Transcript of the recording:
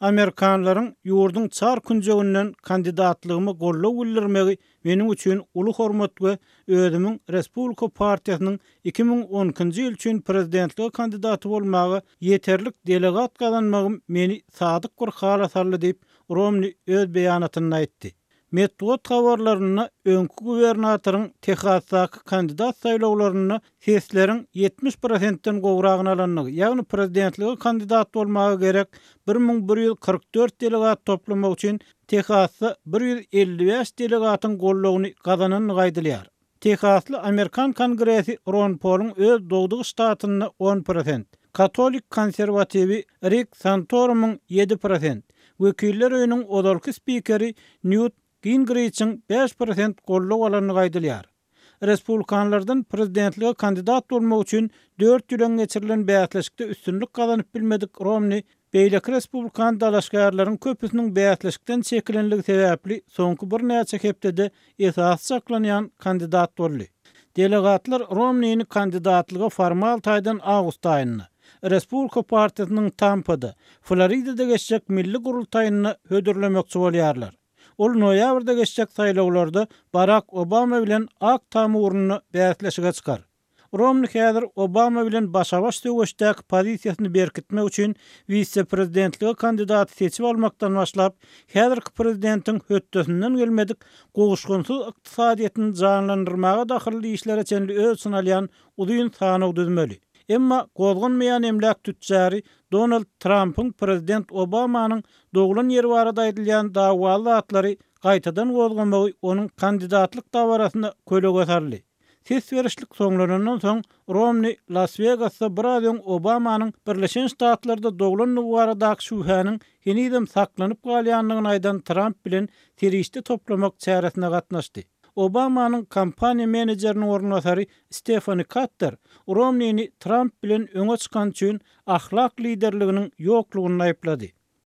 Amerikanlaryň ýurduň çar künjeginden kandidatlygyma goldaw bildirmegi meniň üçin uly hormat we özümiň Respublika partiýasynyň 2012-nji ýyl üçin prezidentlige kandidaty bolmaga ýeterlik delegat gazanmagym meni sadyk bir hala saldy diýip, Romni öz beýanatynda aýtdy. Metbugat habarlarynda öňki gubernatoryň Tehasdaky kandidat saýlawlarynda sesleriň 70 prosentden gowragyny alandygy, ýagny prezidentlige kandidat bolmaga gerek 1144 delegat toplamak üçin Tehasda 155 delegatyň goldawyny gazanandygy aýdylýar. Tehasly amerikan Kongresi Ron Poluň öz dogduk ştatynda on prosent, katolik konserwatiwi Rik Santorumyň ýedi prosent, Wekiller öýüniň ozalky spikeri Nýut Gingriçiň 5% goldaw alandygy aýdylýar. Respublikanlardan prezidentlige kandidat bolmak üçin dört ýyl öň geçirilen bäsleşikde üstünlik gazanyp bilmedik Romni beýleki respublikan dalaşgärleriň köpüsiniň bäsleşikden çekilenligi sebäpli soňky birnäçe hepdede esasy çaklanýan kandidat boldy. Delegatlar Romnini kandidatlyga formal taýdan awgust aýynda, Respublika partiýasynyň Tampada, Floridada geçjek milli gurultaýynda hödürlemekçi bolýarlar. Ol noýabrda geçjek saýlawlarda Barak Obama bilen Ak Tam ugrunda bäsleşige çykar. Romni häzir Obama bilen başa-baş söweşdäki pozisiýasyny berkitmek üçin wise-prezidentlige kandidaty seçip almakdan başlap, häzirki prezidentiň hötdesinden gelmedik gowuşgynsyz ykdysadyýetini janlandyrmaga dahylly işlere çenli öz içine alýan uzyn sanaw düzmeli. Emma gozganmaýan emläk tütjary Donald Trampyň prezident Obamanyň doglan ýeri barada aýdylýan dawaly zatlary gaýtadan gozgamagy onuň kandidatlyk dabarasyna kölege saldy. Ses berişlik soňlanandan soň, Romni Las-Wegasda biraz öň Obamanyň Birleşen Ştatlarda doglandygy baradaky şübhäniň henizem saklanyp galýandygyny aýdan Tramp bilen serişde toplamak çäresine gatnaşdy. Obamanyň kampaniýa menejeriniň orunbasary Stefani Katter Romnini Tramp bilen öňe çykany üçin ahlak liderliginiň ýoklugynda aýyplady.